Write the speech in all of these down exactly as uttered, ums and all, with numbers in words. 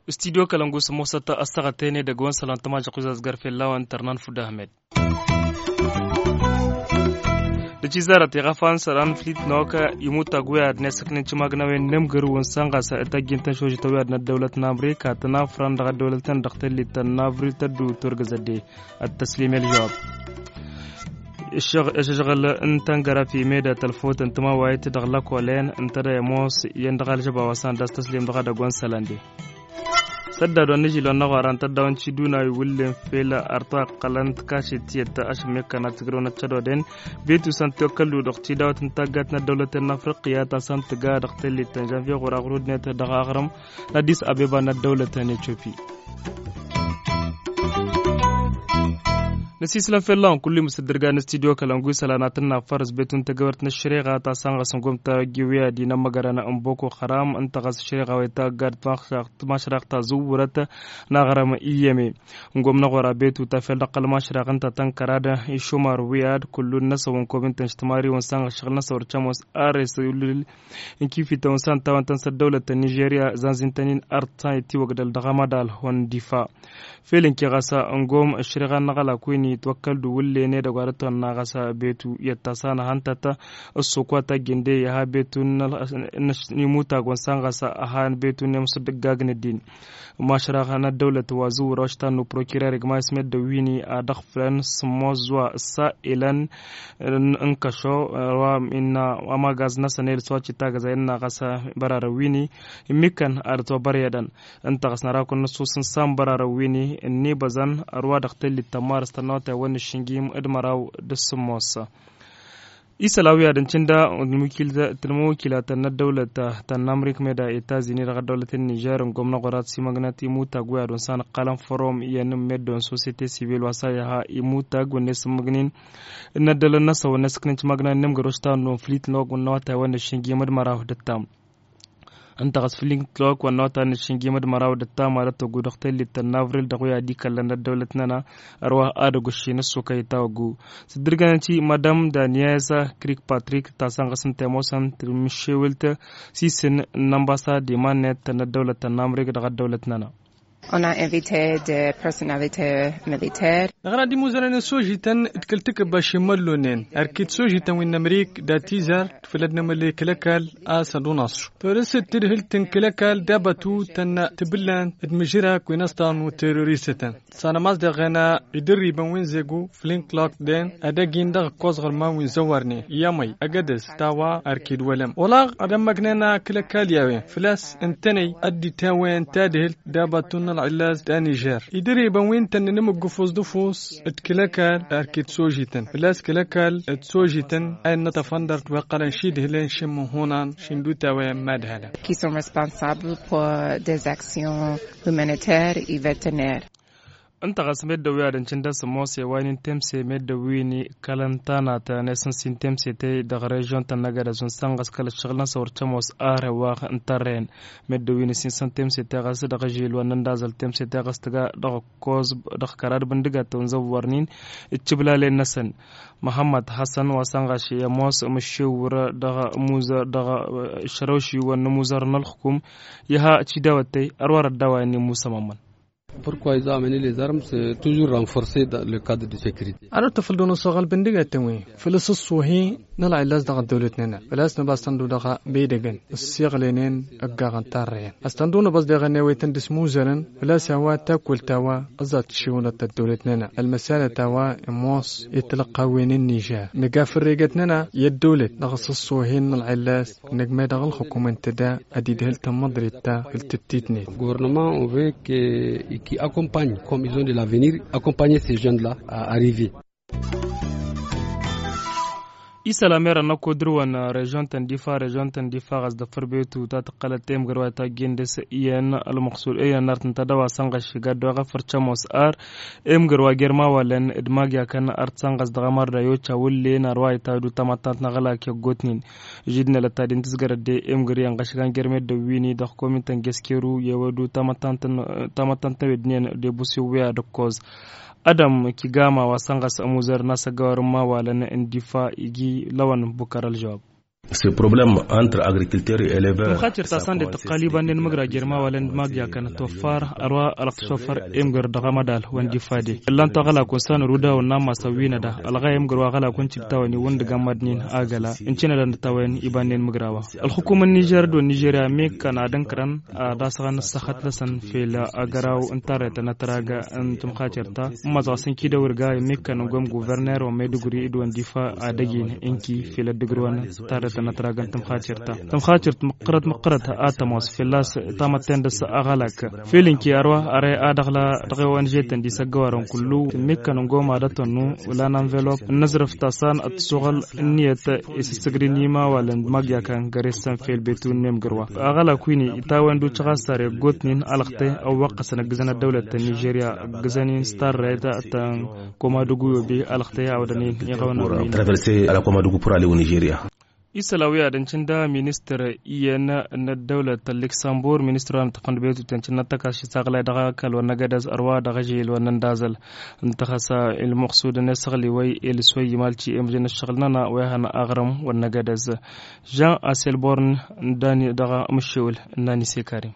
Studyo kălăngus mosăt ăssaɣăt-en edăgg-wăn sălan tămajăq uzazgar fell-a-wa n-tărnan fud ahmed. Dăcizarăt iɣăfan sălan flit n-okă imutag wi ad-nesăknen cimagnawen n-emgăru n-sănɣas. Tăjjintăn šožităn wi ad-năddăwlăt n-amrika tănafran dăɣ-ăddăwlătăn dăɣ-tellit tănnavril tăddu turgăzădde. Ad-tăslim i-ălžăwab. Ăššăɣǝl n-tăngărăfi meda tălfot n-tămawayt dăɣ-lăkolen n-tădăyămos iyyăn dăɣ-alžăba wa s-anda s-tăslim dăɣ-edăgg wa n-sălande. Săddad wa n-ižil wa n-aɣwara n-tăddaw n-ciduna iwǝllen fel artwa iqqălăn tikašet tiyyăt ašămmekkan ad-tǝgrăwăn ăccădoden. Betu s-ăntiwăkkăldu dăɣ-tidawăt n-taggat n-ăddăwlăten n-afriqya ta s-ăntǝga dăɣ-tellit n-žanvier ɣur-aɣrudnet dăɣ-aɣrǝm n-addis abeba n-ăddăwlăten etiopi. Năsiislăm fell-a-wen kullu-i măsăddărga n-studyo kălăngu isălan ad-tǝnna fărăs betun tăgăwert n-ăššăreɣa ta s-ănɣăs n-gom tawăjji wi ad-inămmăgărăn n-boko haram ǝnta ɣas ăššăreɣa wa itaggad. Tmašraɣt ta zǝwwărăt n-aɣrăm iyyăme n-gom n-aɣora betu ta fel dăɣ-kăl-mašraɣ ǝnta tănkăr ad-išumar wi ad-kullu-năsăw n-kom ǝnta n-ijtǝmariwăn s-ănɣăs šăɣǝl-năsăw ărcăm wa s-arres iwǝllǝl n-kifităn wa s-ăntawăn-tăn s-ăddăwlăt n-nižerya zanzintăn-in ărt ta ittiwăgdăl dăɣ-amădal hon difa. Fel ǝnke ɣas ăngoom ăššăreɣa n-aɣălak wi n-itwăkkăl d-uwǝllen edăgg wa dăɣ-tăwănna ɣas betu i-ăttas a n-ahăn tăt-ăssokwa tajjǝnde i-aha betu n-imutag wa n-san ɣas ăhan betu n-emsǝddǝggag n-ăddin. Mašraɣ n-ăddăwlăt wa zǝwwăr oštanu prokirer igma ismeddăw wi n-ad-ăɣfǝlăn s-ămoos wa ǝssa elăn n-kăšo wa n-amagaz-năsăn elăs wa citagăzay n-aɣas bărarăn wi n-immikkăn ad-ătwăbăryădăn. Ǝnta ɣas năra kăwăn-năssus n-san bărarăn wi n-inibăzăn ărwa dăɣ-tellit tămmarăs tănnăwătay wa n-ašǝnjim d-măraw d-sǝmmos. Isălan wi ad-ǝncǝnda tǝnmăwǝkilatăn n-ăddăwlăt ta n-amrik meda etazini dăɣ-ăddăwlăt n-nižer n-gomnăɣ wăr-ad-simăgnăt imutag wi ad-wăn san ǝqqalăn forom iyyăn n-meddon sosiyete sivil wa s-a iha imutag wănne s-ǝmmǝgnin n-ăddălăn-năsăn wănne s-ǝknǝn timăgna n-nemgăroš ta n-noflit n-wăgg n-awătay wănne šǝnjim d-măraw d-ǝttam. Ǝnta ɣas fǝlin tlok wănna wa ta n-ašǝnjim d-măraw d-ăttam ad-ătwăggu dăɣ-tellit tănnavri-l dăɣ-wi ad-ikăllăn ăddăwlăt-nănăɣ ărwa ad-ăgguššin ăssukăy tawăggu. Sǝddǝrgănăn-ti madam daniez krik patrik ta sănɣăs n-temosăn tǝmmǝššewǝlt s-isǝn n-ănbasad iman-net tăn-ăddăwlăt tănnamrik dăɣ-ăddăwlăt-nănăɣ. Dăɣ-năɣ ad-imuzărăn n-sojităn d-kăl-takǝbba šimăllonen ărkit sojităn wi n-amrik d-atizar d-făll-ad-nămălăy kăl-ăkall a-s ad-unaṣu. Tolăsăt tadhǝlt n-kăl-ăkall d-abătu tănna tibǝllan d-mǝžrak wi n-ăṣṭan n-teroristătăn. Sanămas deɣen idărribăn wi n-zegu flin klok den ad-ăgg-in dăɣ-ǝkkoẓ ɣărman wi n-zăwărnen i-amăy ăgg-edăs tawa ărkid wălăm olaɣ ad-ămmăgnen kăl-ăkall i-a-wen făl-a-s ǝntănăy ad-dd-itawăyăn tadhǝlt d-abatun n-ălɣǝllaz d-anižer idărribăn wi n-tănnăn imǝggǝfus d-ǝfus d-kăl-ăkall ărkid sojităn făl-a-s kăl-ăkall d-sojităn a innă tăfăndărt wa iqqălăn šidhǝlăn šǝmmǝhunan šindutawăyăn madhălăn. Qui sont responsables pour des actions humanitaires i veterinaires. Ǝnta ɣas meddǝn wi ad-ǝncǝndăs ămoos i-wa n-intemse meddǝn wi n-ikălăn tanat n-esǝnsin temse tey dăɣ-režion-tăn n-agădăz unsan ɣas kăl-ăššăɣǝl-năsăn wăr cămoos arăwaɣ n-tărrăyăn. Meddǝn wi n-isǝnsăn temse tey ɣas dăɣ-ažil wa n-ăndazăl temse tey ɣas tǝga dăɣ-ăkkoẓ dăɣ-kărad bǝndǝgatăw n-zăwwărnin d-tiblalen-năsăn. Măhămmăd hasăn wa săn ɣaš i-ămoos mǝššiwǝr dăɣ-muzăr dăɣ-išrăwši wa n-muzăr n-ălxǝkum. Iha tidawăt tey ărwa răddawa i-musămămăn. Purkwa izamani lezarm s-tuzur ranforse le kad de sekirite. Arăt tăfăl d-unăsăɣăl bǝndǝgatăn wi făl s-ăṣṣuhi n-ălɣillas dăɣ-ăddăwlăt-nănăɣ făl-a-s năba s-tăndu dăɣ-bidăgăn ǝssiɣlenen ăggaɣăn tarrăyăn a-s tăndu năbăẓ deɣăn i-awăytăn d-asmuzărăn făl-a-s a-wa takwălt a-wa ăẓẓat tǝššiwǝlăt ăddăwlăt-nănăɣ ălmăsalăt a-wa ămoos i-tilăqqawen n-nižer nǝga fărregăt-nănăɣ i-ăddăwlăt dăɣ-s ăṣṣuhin n-ălɣillas năgg meddăɣ ălxǝkum ǝnta da ad-idhǝl tămmăḍrit ta făll-tǝttitnet. Guvernăma on văy ke i-ki akompanye kom izon de lavenir akompanye se žen la. Arive. Isălan merăn n-ăkko dăr-wăn režion-tăn difa režion-tăn difa ɣas dăfăr betu ta tǝqqălăt emgăr wa itajjen dăr-s iyyăn ălmăqsud iyyăn n-art n-tadăwa sănɣăš iga dd-oɣăf ărcăm osar. Emgăr wa germawalăn d-mag i-akăn art sănɣăs dăɣ-amărda i-oca wǝllen ărwa itadu tamăttant n-aɣălak i-ăggootnen. Židnălăt ta din tǝzgărăt de emgăr i-ănɣăšgan germed dăɣ-wini dăɣ-komintăn geskeru i-ewădu tamăttant n-ewednen d-ebusiwwi ad-ǝkkoẓ. Ădăm kigama wa săn ɣas ămuzăr n-asăgawar n-imawalăn n-difa igi lăwăn bukăr ălžăwab. Probleme entre agricultări elevăr. Tǝmxatir ta săn de tăqqal ibannen mǝgra jer-imawalăn d-magya kăn toffar ărwa ălăqtăšofăr emgăr dăɣ-amădal wa n-difa de. Ǝllan-t aɣălakun săn ruda wa n-ammas ăwwinăda ălɣay emgăr wa aɣălakun cigtawăn iwǝndǝg amădnen agăla ǝncǝnădăn d-tawăn ibannen mǝgra wa. Ălxukum n-nižer d-wa n-nižerya mekăn ad-ǝnkărăn ad-asɣăn ăssăxăt-năsăn fel agăraw n-tarrăyt n-ătrag n-tǝmxatir-ta. Ǝmmăẓ ɣas ǝnki d-awǝrgay mekăn ǝngom guverner wa meduguri d-wa n-difa ad-ăjin ǝnki fel ăddǝgrǝwăn tarrăyt n-ătrag n-tǝmxatir-ta. Tǝmxatir-t măqqărăt măqqărăt ad-tămoos fălla-s tamătten dăɣ-s aɣălak. Fel ǝnki arwa are ad-ăɣla dăɣ-e-wa n-žetăn d-isăggăwarăn kullu mekăn ǝngom ad-ătănnu. Wăla n-anvelop n-aẓrǝf ta săn ad-tǝsuɣăl ǝnniyăt isǝssǝgdǝn imawalăn d-magyakan găre-săn fel betu n-emgǝrwa. Aɣălak win-i itawăn d-ucăɣ a-s sar iggotnen alăɣte ăwwăqqăsăn ǝggǝzăn ăddăwlăt ta n-nižerya ǝggǝzăn-in s-tarrăyăt ta n-komadugu i-obe alăɣte a-wa dănen iɣăwăn. Traverse ala komadugu pur alewăn nižerya. Isălan wi ad-ǝncǝn da ministăr iyyăn n-ăddăwlăt n-liksambur ministăr wa n-ăṭṭăfăn d-betut i-ăncǝnnăt tăkašit aɣlay dăɣ-akal wa n-agădăz ărwa dăɣ-ažel wa n-ăndazăl. Ǝnta ɣas a ilmăqsud n-esăɣli wa i-elǝs wa i-imalci i-măjăn ǝššăɣǝl-nănăɣ wa ihăn aɣrǝm wa n-agădăz. Žan aselborn n-dani dăɣ-amǝššewǝl n-nani sekari.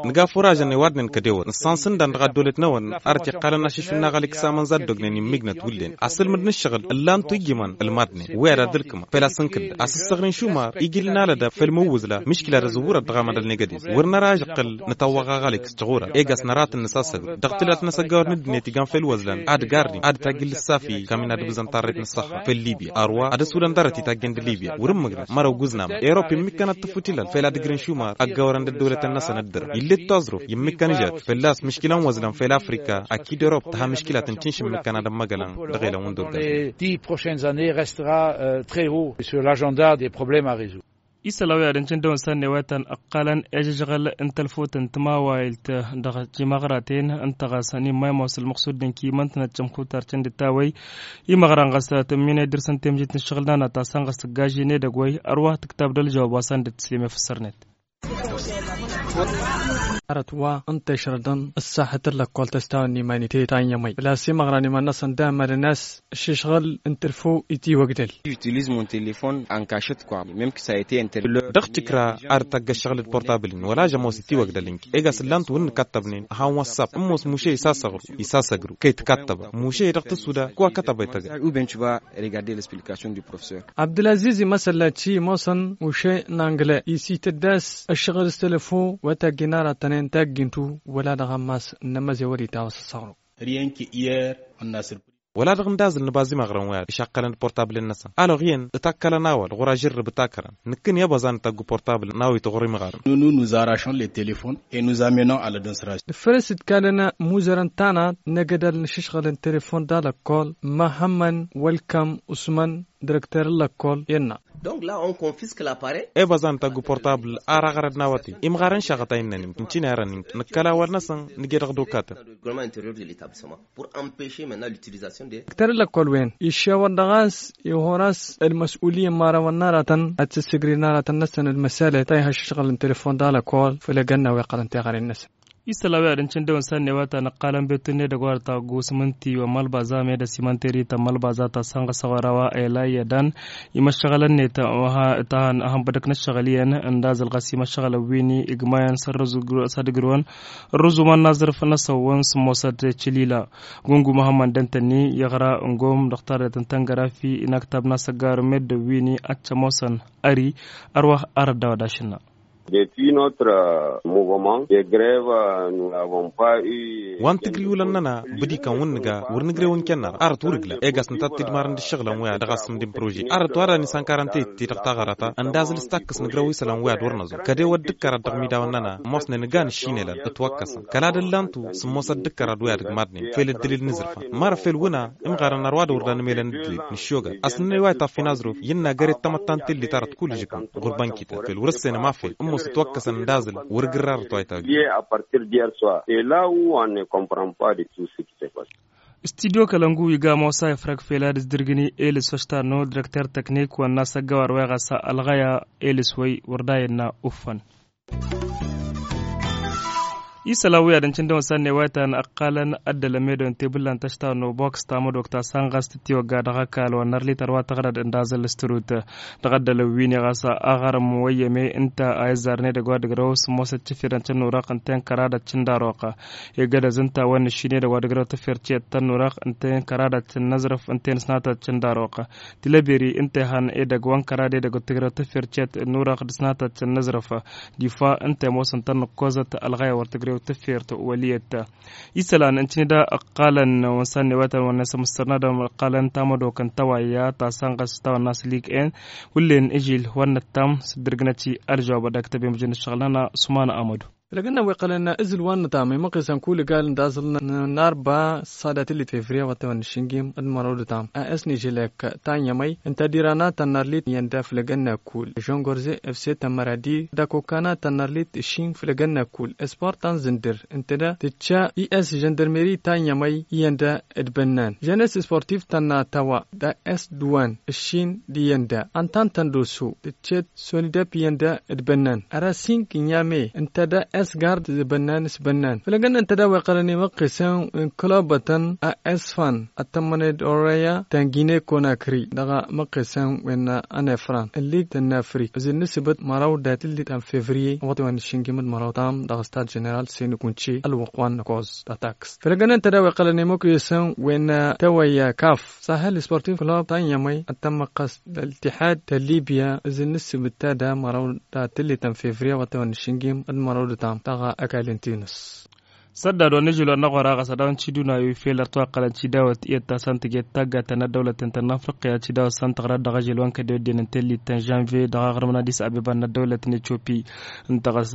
Nǝga furažăn i-wa d-nǝnkăd ewăr nǝssansǝndan dăɣ-ăddolăt-năwăn. Arăt iqqălăn ašǝššǝn n-aɣăl iksaman za ăddoognen immǝjnăt wullen asǝlmǝd n-ǝššăɣǝl ǝllan-tu ijimăn ǝlmadnen wi ad-ad-ǝlkǝmăn făl-a-s ǝnkǝdda a-s ǝssăɣrǝn šumar ijil n-alădab făll-imǝwwǝzla. Miškila ad-ăzǝwwǝrăt dăɣ-amădăl n-egădez wăr năra ažăqqǝl nǝtawwăɣ aɣălek s-tiɣurăn. Ega-s nărha tǝnnǝs asăgru dăɣ-tǝlat n-asăggawăr n-ǝddǝnet igan făll-iwăzlan ad-garnin ad-tajjǝl ǝssafi kam-in ad-ǝbzăn tarret n-ǝssăxxa făll-libya ărwa ad-ăsudăn dăr-t itajjăn d-libya wăr-ǝmmǝgrăn măraw gǝznamăn. Europa immǝkkăn ad-tǝfut ilal făll-ad-ǝgrǝn šumar ăggawărăn d-ăddăwlătăn-năsăn ǝddǝrăn ill'-e d-taẓruf immǝkkăn ižat fălla-s mǝškila n-wăzlăn făll-afrika. Akid europa tǝha mǝškila tǝntinš immǝkkăn ad-ămmăgălăn dăɣ-elăn wǝndor. Dix prochaines années restera très haut sur l'agenda des problèmes à résoudre. Isălan wi ad-ǝncǝn dăɣ-wăn sănnewătăn ǝqqălăn i-ažăžɣăl n-tălfut n-timawayǝlt dăɣ-timăɣraten ǝnta ɣas ănimma i-ămoos ălmăqsud d-ǝnki imăntnăt cămxutar căndǝt ta-wăy. Imăɣran ɣas tǝmminăy dăr-săn temžit n-ǝššăɣǝl-nănăɣ ta săn ɣas tǝggažen edăgg-wăy. Ărwa tǝktab d-ălžăwab wa săn dd-tǝslem i-făssărnet. Arăt wa ǝnta išrădăn ǝssaxăt n-lăkkol tăstawăn n-imanite ta n-yămăy făl-a-s imăɣran iman-năsăn d-amălăn a-s ǝššǝšɣǝl n-tǝlfu itiwăgdăl. J'utilise mon telefon en cachette quoi mem que ça a été interdit. Dăɣ-tikra ad-tagga ǝššăɣǝl d-portabil-in wăla žămoos itiwăgdăl ǝnki egas ǝllan-t wăr nǝkattăbnen. Han wăssap ǝmmos muše isasăɣru isasăgru kăy-tǝkattăbăn muše dăɣ-tǝsuda ko akătăbăy tăgga. Ou bien tu vas regarder l'explication du professeur. Abdulaziz imăsălla ti ămoosăn uše n-angle isităddas ǝššăɣǝl s-telefo wa taggi n-aratănen taggintu wăla dăɣ-ammas n-amăze wăr-itawăs ăssaɣru. Wăla dăɣ-n dazǝl nǝbaz imăɣrăn wa i-ad-išaqqălăn d-portablen-năsăn alăɣ iyyăn ǝtakkălăn a-wa d-ɣur-ažărrǝb ǝtakărăn. Nǝkkǝn i-abăẓan ǝtaggu portabl n-a-wa itɣur imɣarăn. Nunu nuzarašăn le telefon e nuzamenăn alădăn săraš. Dăɣ-făl a-s ǝdkalăn imuzărăn tanăt n-egădal n-ašǝšɣǝl n-telefon d-alăkkol măhămmăn wălkăm usmăn direkter n-lăkkol i-ănna. Dăɣ-la on confisque laparey. Ebăẓan tăggu portabl ar aɣrăd n-awătay imɣarăn šaɣăt a innăn imtǝntinarăn nǝkkăl awăr-năsăn nǝje dăɣ-dokatăn. Direkter n-lăkkol-wen iššewăr dăɣ-a-s ihor a-s ălmăs'uliyăn imărawăn n-aratăn ad-t-ǝssǝgri n-aratăn-năsăn d-măsălet ta ih'-aššăɣǝl n-telefon d-alăkkol făll-egănna wa iqqălăn teɣăre-năsăn. Isălan wi ad-ǝncǝn dăɣ-wăn sănnewăt a nǝqqalăn betǝnne dăgg-wa dăɣ-taggu s-imǝnti wa n-malbaza meda s-imanteri ta n-malbaza ta sănɣăsăɣ wăr-a-wa ela iyyădan imăššăɣălăn-net. Ăhăn bădăk n-ăššăɣǝl iyyăn ǝndazăl ɣas imăššăɣălăn wi n-igmayăn s-ad-ǝgrǝwăn ărrǝzumăn n-aẓrǝf n-asăwwăn s-ămoosăt cǝlila. Gungu măhămmăn dăntănni iɣra ǝngom dăɣ-tarret n-tăngărafi inaktab n-asăggar meddǝn wi n-i ad-t-ămoosăn ări ărwa arăt daw-ad-ašǝnna. Depuis notre mouvement de grève nous n'avons pas eu. Wa n-tǝgriwǝlăn-nănăɣ bǝdikăn wǝnnǝga wăr nǝgrew ǝnken-nănăɣ arăt wăr ǝgla egas nǝtattǝjmarăn d-ǝššăɣǝlăn wi ad-dăɣ-asǝm d-improže arăt wa dăɣ-nǝsankar ăntăyăt-ti-dăɣ taɣărăt ăndazǝl s-takkǝs nǝgrew isălan wi ad-wăr năẓur kăd-ewăd d-ǝkkărad dăɣ-imidawen-nănăɣ ămoosnen ǝgan ǝššinelăn ǝtwăkkăsăn kăla d-ǝllan-tu s-ămoosăt d-ǝkkărad wi ad-ǝgmadnen fel ǝddǝlil n-iẓrǝfan mărăf fel wǝnna imɣarăn ărwa d-wăr danămelăn ǝddǝlil n-ǝššoga. Asǝnnăy wa itaffi n-aẓrǝf innă găre d-tamăttant tellit arăt kull žăkăn ɣur-bănkităn fel wăr-ǝssenăm afel ǝmmos ǝtwăkkăsăn d-azǝl wăr-gǝrrarăt wa itawǝjjăn. Studyo kălăngu iga mosa ifrăk fel ad-ǝzdǝrgǝni elǝs wa ăštarnăw direkter tăknik wa n-asăggăwar wa iɣasa ălɣăya elǝs wăy wăr da innă uffăn. Isălan wi ad-ǝncǝndăn wăssan n-ewayăt a ăqqalăn ăddălăn meddǝn tebǝllan tăštawăn n-obăks tamădok ta sănɣas tǝttiwăgga dăɣ-ăkall wa n-arlit ărwa tăɣrăd n-dazăl s-tărut. Dăɣ-ăddălăn wi-ni ɣas aɣrǝm wăyyăme ǝnta a izzarăn edăgg wa dăgg-răw s-ămoosăt cǝfirăn cǝnnurăɣ ǝnta i-n kăradăt cǝndaroɣ. Egădăz ǝnta a wănnăššin edăgg wa dăgg-răw tǝffer ciyăt tănnurăɣ ǝnta i-n kăradăt cǝnnăzrăf ǝnta i-n sănatăt cǝndaroɣ. Tilăberi ǝnta i-han edăgg wa n-kărad edăgg wa t-tǝgrăw tǝffer ciyăt ǝnnurăɣ d-sănatăt cǝnnăzrăf. Difa ǝnta i-ămoosăn tănnăkkozăt ălɣayăw wăr tǝgrew tǝffert wăliyăt. Isălan ǝncǝnǝda ǝqqalăn wănsan n-ewătăn wănnes ămǝssărnadăm ǝqqalăn tamădok n-tawayya ta sănɣăs tawănnas lig-en. Hullen ǝžil wăr nǝttam s-dd-ǝrgǝnăt i-ălžăwab ad-ăktăb i-mǝjǝn ǝššăɣǝl-nănăɣ sumana amădu. Fălăgăn n-a-wa iqqălăn ǝzǝl wa n-nǝtam i-măqqesăn kull gal n-daẓǝl n-arba s-ad-dd-tǝllit fevriye wa t-wăn-nǝššǝnjim d-măraw d-tam a s-nǝžǝlek ta n-yămăy ǝnta ad-iran a tănnarlit iyyăn da fălăgăn n-akul žongorze efse tămmăradi d-akokkan a tănnarlit ǝššin fălăgăn n-akul s-portan zǝndǝr ǝnta da tǝcca i s-žăndărmeri ta n-yămăy iyyăn da d-bănnan žănes s-portif tănna tăwa da s-dăwan ǝššin d-iyyăn da ăntan tăndoso tǝccet sonidep iyyăn da d-bănnan ărăsink n-yame ǝnta da s-gard d-bănnan s-bănnan fălăgăn ǝnta da wa iqqălăn i-măqqesăn n-kălobătăn a s-fan ăttămmăned orăya ta n-gine konakri dăɣ-măqqesăn wen n-efran ǝllig tănnafrik ǝzǝl n-asǝbăt măraw dat-ǝllit n-fevriye ăwăḍewen n-ašǝnjim d-măraw tam dăɣ-stad ženeral senikunce ălwăqq wa n-năkoẓ d-atakst fălăgăn ǝnta da wa iqqălăn i-măqqesăn wen n-tawăyya kaf sahel sportif club ta n-yămăy ăttămmăqqăs d-ăltihad ta n-libya ǝzǝl n-asǝbǝt ta da măraw dat-ǝllit n-fevriye ăwăḍewen n-ašǝnjim d-măraw d-tam dăɣ-ăkall n-tinǝs. Săddad wa n-ažil wa n-aɣora ɣas ad-dăɣ-n ciduna i-fel ărtwaqălăn cidawăt iyyăt ta săn tǝjet taggaten n-ăddăwlăt n-tăn-afriqya cidawăt săn tăɣrăt dăɣ-ažil wa n-kădewădden n-tellit ta n-žanviye dăɣ-aɣrǝmăn ad-isăbebăn n-ăddăwlăt n-etiopi. Ǝnta ɣas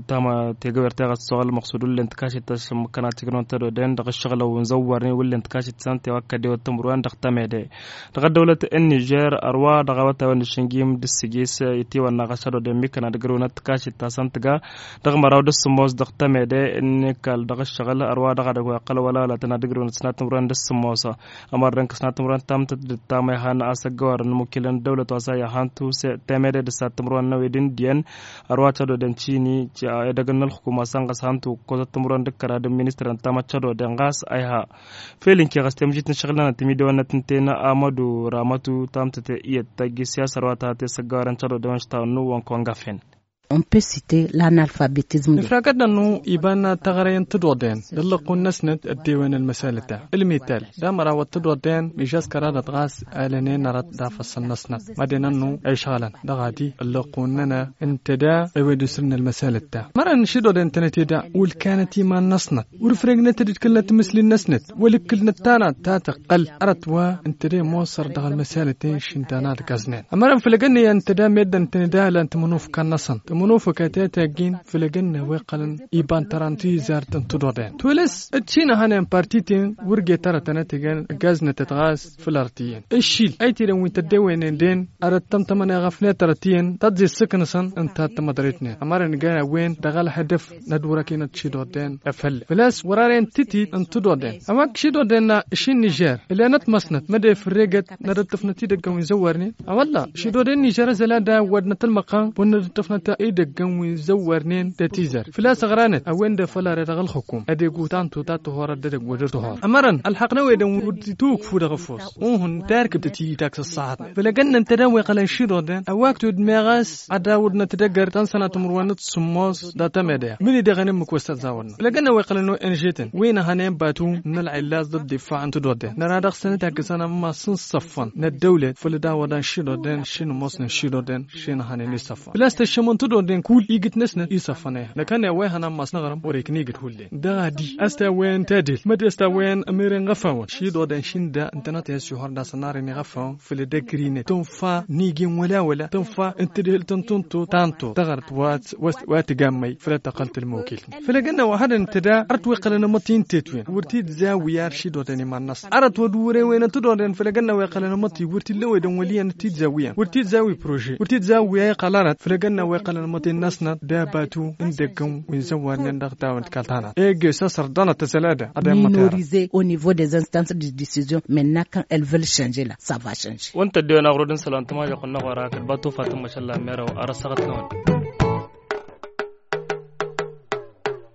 tama tegăwert teɣăt s-oɣăl măqsud wullen tǝkašit ta s-măkkăna tigrăwăn tădoden dăɣ-ašăɣlăw n-zăwwărnen wullen tǝkašit ta săn tewăkkădewăt tǝmrǝwen dăɣ-tămede. Dăɣ-ăddăwlăt n-nižer ărwa dăɣ-awătawăn n-ašǝnjim d-ǝssǝjis itiwănna ɣas tădoden mikkăna dăgg-rǝwnăt tǝkašit ta săn tǝga dăɣ-măraw d-ǝssǝmmos dăɣ-tămede n-ikall dăɣ-ăššăɣǝl ărwa dăɣ-edăgg wa iqqăl wălalătăn ad-ǝgrǝwnăt s-natǝmrǝwen d-ǝssǝmmos. Ămărrăn kăs-natǝmrǝwen tamtăt d-ǝttam a ihan a-s ăggăwarăn imukilăn d-dăwlăt wa s-a iha hantu temede d-ǝssatǝmrǝwen n-ăwed n-iddiyăn. Ărwa tădodăn cini edăgg n-ălxukuma sănɣăs hantu ǝkkozăt timrǝwen d-ǝkkăra d-ministăr n-tamăt tădodăn ɣas a iha. Fel ǝnke ɣas temǝžit n-ašăɣǝl-nănăt timidewen-năt ǝnta-en amădu ramătu tamtăt iyyăt tăgg-s i-a-s ărwa ta tesăggawărăn tădodăn wa n-ašta n-nuwwăn kăwăn gafen. On peut citer l'analphabétisme. Nǝfragăt-nănnu iba n-taɣrăy n-tădodden d-ăllăqqu-năsnăt ăddewen ălmăsalăt-a ǝlmital d-amăraw d-tădodden mižas kăraḍăt ɣas alănen arăt d-afăssăn-năsnăt mad-e-nănnu a išɣălăn dăɣ-adi ăllăqqu-nănăɣ ǝnta da ewed usǝlnă ălmăsalăt-ta. Mărăn n-išidodden tănăt-eda wăl kanăt iman-năsnăt wăr ǝfrăgnăt d-kăl-năt timǝsli-năsnăt wăl-ǝkkǝl-năt tanăt ta tăqqăl arăt wa ǝnta da i-ămoosăr dăɣ-ălmăsalăt-en šindana d-gaznen. Ămărăn făll-egănnăyăn ǝnta da meddǝn tăn-ed a ălan tămănufka-năsăn tămănufka ta taggin făll-egănnăy wa iqqălăn iba n-tăra n-tizart n-tădodden tolăs d-šinăhănen parti-ten wăr get arătăn ad-t-ijăn ăggaznătăt ɣas făll-arăt iyyăn ǝššil a itidăn wi n-tăddewăynen den arăt tămtămăn i-ɣăfnet arăt iyyăn tăt-zi ǝssǝk-năsăn ǝnta ad-tămăḍret-net ămărăn iga a-wen dăɣ-ălhădăf n-ad-wăr-ăkinăt šidodden efălle făl-a-s wăr-arăyăn titid n-tădodden a-wa ǝššidodden n-ašin nižer ǝlănăt măsnăt mădde fărregăt n-ad-ăṭṭăfnăt idăggăn wi n-zăwwărnen a-wălla šidodden nižer ăzăla da ăwwădnăt ălmăqqan wăr năd-ăṭṭăfnăt idăggăn wi n-zăwwărnen d-atizăr făl-a-s ăɣranăt a-wen-dd afăl arăt dăɣ-ălxukum ad-egu tantu ta tăhorăt d-edăgg wăr dd-tăhor ămărăn ălxaqq n-ewedăn wăr dd-tuwǝkfu dăɣ-ăfos uhǝn tarkǝbt ti-dăgg s-ăṣṣahat făll-egănnăn tădawăy qălăn šidodden ăwwak tud-meɣ a-s ad-awǝdnăt d-egăr ta n-sănatămrǝwăn d-sǝmmos d-atamede mini deɣ ănǝmmǝk wa s-tăzzawădnăt făll-egănnăn wa iqqălăn o n g-tăn wi n-ehănen batu n-ălɣillas d-ăḍḍifa n-tădodden năra dăɣ-săn itaggăsăn ămmas n-săffăn n-ăddăwlet făll-dd-awăḍăn šidodden šinǝmosnăn šidodden šinăhănen isăffăn făl-a-s tăššămăn tădodden kull igǝt-năsnăt isăffăn a iha năkănne a-wa ihăn ammas n-aɣrǝm wăr-ikna igǝt hullen dăɣ-adi a-s tawăyăn tadel mădde a-s tawăyăn ămeren ɣăfawăn šidodden šinda ǝntănăt i-ăsihor d-asănarăn iɣăfawăn făll-ăddăgg ri-net tǝnfa n-igin wăla-wăla tǝnfa n-tǝdhǝlt n-tǝntot tantot taɣărt wa t-gammăy făll-ăttăqqăl tǝlmokil făll-egănna wa hadăn tăda arăt wa iqqălăn amătti n-tetwen wăr t-dd-zawi ar šidodden iman-năsăn arăt wa d-wăr-ewenăn tădodden făll-egănna wa iqqălăn amătti wăr t-illa ewedăn wăl' iyyăn t-dd-zawi iyyăn wăr t-dd-zawi prože wăr t-dd-zawi a iqqăl arăt făll-egănna wa iqqălăn amătti-năsnăt d-abatu n-idăggăn wi n-zăwwarnen dăɣ-tawăn d-kalt hanăt egg-e s-asăr ḍanăt tăsăl ad-ăḍemăt minorize au niveau des instances de décision maintenant quand elles veulent changer là ça va changer. Wăntă dd-ewăn aɣrud n-isălan tămažăɣt n-aɣora kăl-batu fatǝmmăšăl la meraw arăsăɣăt-năwăn.